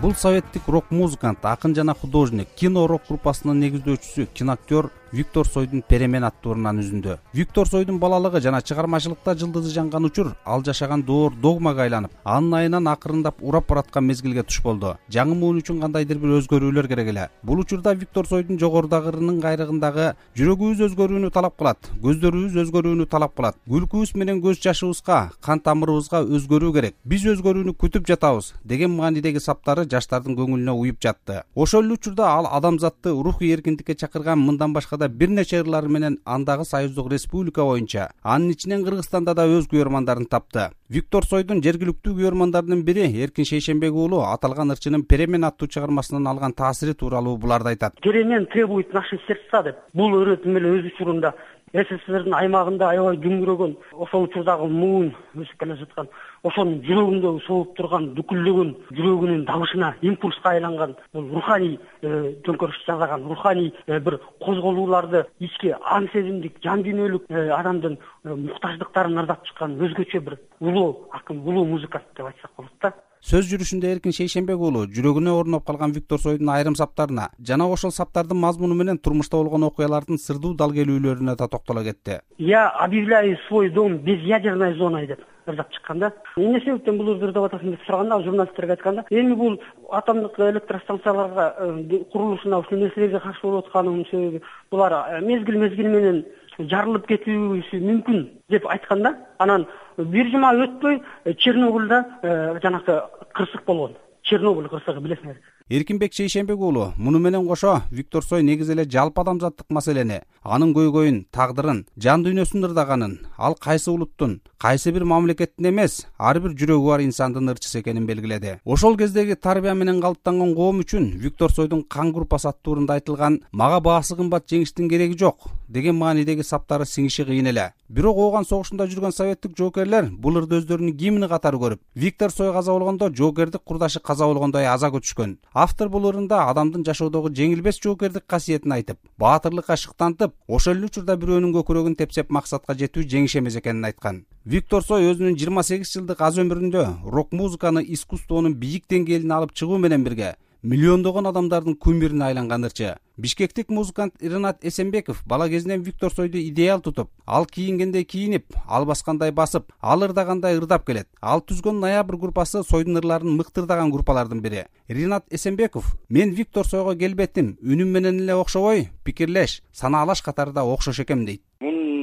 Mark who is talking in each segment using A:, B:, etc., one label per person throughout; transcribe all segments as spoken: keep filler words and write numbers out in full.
A: Бул советтик рок-музыкант, акын жана художник, кино рок группасынын негиздөөчүсү, киноактер Виктор Цойдун «Перемен» аттуурунан үзүндү. Виктор Цойдун балалыгы жана чыгармачылыкта жылдызы жанган учур ал жашаган доор догмага айланып, анын айынан акырындап урап бараткан мезгилге туш болду. Жаңы муун үчүн кандайдыр бир өзгөрүүлөр керек эле. Бул учурда Виктор Цойдун жогорудагырынын кайрыгындагы жүрөгүбүз өзгөрүүнү талап кылат, көздөрүбүз өзгөрүүнү талап кылат. Күлкүбүз менен көз жашыбызга, кан тамырыбызга өзгөрүү керек. Биз өзгөрүүнү күтүп жатабыз деген маанидеги саптары жаштардын көңүлүнө уюп жатты. Ошол эле учурда ал адамзатты рухий эркиндикке чакырган мындан башка да бир нече ырлары менен андагы союздук республика боюнча, анын ичинен Кыргызстанда да өз күйөрмандарын тапты. Виктор Цойдун жергиликтүү күйөрмандарынын бири Эркин Шейшенбек уулу аталган ырчынын «Перемен» аттуу чыгармасынан алган таасири тууралуу буларды айтат.
B: Перемен требует наши сердца деп. Бул өрөтүм эле өз учурунда СССРдин аймагында аябай күңүрөгөн, ошол учурдагы муун өсүп келе жаткан, ошонун жүрөгүндө согуп турган дүкүлдөгөн жүрөгүнүн дабышына, импульска айланган, бул руханий төңкөрүш жасаган, руханий бир козголууларды, ички аң сезимдик, жан дүйнөлүк адамдын муктаждыктарын ырдап чыккан өзгөчө бир улуу акын, улуу музыкант деп айтсак болот да.
A: Сөз жүрүшүндө Эркин Шейшенбек уулу жүрөгүнө орноп калган Виктор Цойдун айрым саптарына жана ошол саптардын мазмуну менен турмушта болгон окуялардын сырдуу далгелүүлөрүнө да токтоло кетти.
B: Я объявляю свой дом безъядерной зоной деп ырдап чыккан да. Эмне себептен бул ырдап атасың деп сураганда, журналисттерге айтканда, эми бул атомдук электростанцияларга курулушуна ушул нерселерге каршы болуп атканын себеби булар мезгил мезгил менен жарылып кетүүсү мүмкүн деп айтканда, анан бир жума өтпөй Чернобыльда жанакы кырсык болгон. Чернобыль кырсыгы билесиңер.
A: Эркинбек Шейшенбек уулу муну менен кошо Виктор Цой негизи эле жалпы адамзаттык маселени, анын көйгөйүн, тагдырын, жан дүйнөсүн ырдаганын, ал кайсы улуттун, кайсы бир мамлекеттин эмес, ар бир жүрөгү бар инсандын ырчысы экенин белгиледи. Ошол кездеги тарбия менен калыптанган коом үчүн Виктор Цойдун «Кан группасы» аттуурунда айтылган «Мага баасы кымбат жеңиштин кереги жок» деген маанидеги саптары сиңиши кыйын эле. Бирок ооган согушунда жүргөн советтик жоокерлер бул ырды өздөрүнүн гимни катары көрүп, Виктор Цой каза болгондо жоокердик курдашы каза болгондой аза көтүшкөн. Автор бул ырында адамдын жашоодогу жеңилбес жоокердик касиетин айтып, баатырлыкка шыктантып, ошол эле учурда бирөөнүн көкүрөгүн тепсеп максатка жетүү жеңиш эмес экенин айткан. Виктор Цой өзүнүн жыйырма сегиз жылдык аз өмүрүндө рок-музыканы искусствонун бийик деңгээлине алып чыгуу менен бирге миллиондогон адамдардын кумирине айланган ырчы. Бишкектик музыкант Ринат Эсенбеков бала кезинен Виктор Цойду идеал тутуп, ал кийингендей кийинип, ал баскандай басып, ал ырдагандай ырдап келет. Ал түзгөн Ноябрь группасы Цойдун ырларын мыкты ырдаган группалардын бири. Ринат Эсенбеков: "Мен Виктор Цойго келбетим, үнүм менен эле окшобой, пикирлеш, санаалаш катарда окшош экем" дейт.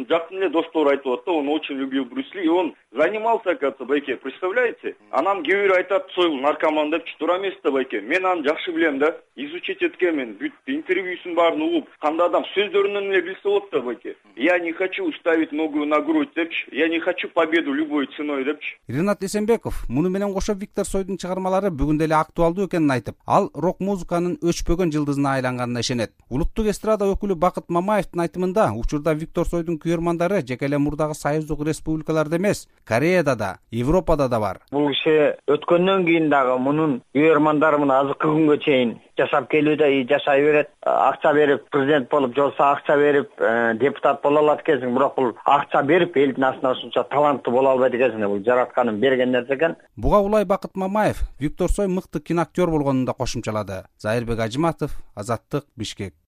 C: Жакын эле достор айтып атты, он очень любил Брюс Ли, и он занимался, оказывается, байке, представляете? Анан кээ бирөө айтат, Цой наркоман депчи, туура эмес да байке. Мен аны жакшы билем да, изучить эткенмин, бүт интервьюсун баарын угуп, кандай адам сөздөрүнөн эле билсе болот да байке. Я не хочу ставить ногу на грудь депчи, я не хочу победу любой ценой депчи.
A: Ринат Эсенбеков муну менен кошо Виктор Цойдун чыгармалары бүгүн деле актуалдуу экенин айтып, ал рок-музыканын өчпөгөн жылдызына айланганына ишенет. Улуттук эстрада өкүлү Бакыт Мамаевдин айтымында, учурда Виктор Цойдун күйөрмандары жеке эле мурдагы союздук республикаларда эмес, Кореяда да, Европада да бар.
D: Бул киши өткөндөн кийин дагы мунун күйөрмандары мына азыркы күнгө чейин жашап келүүдө, жашай берет. Акча берип, президент болуп, жолса акча берип, депутат боло алат экенсиң, бирок бул акча берип элдин астына ушунча таланттуу боло албайт экенсиң, бул жаратканын берген нерсе экен.
A: Буга улай Бакыт Мамаев Виктор Цой мыкты киноактер болгонун да кошумчалады. Зайырбек Ажиматов, Азаттык, Бишкек.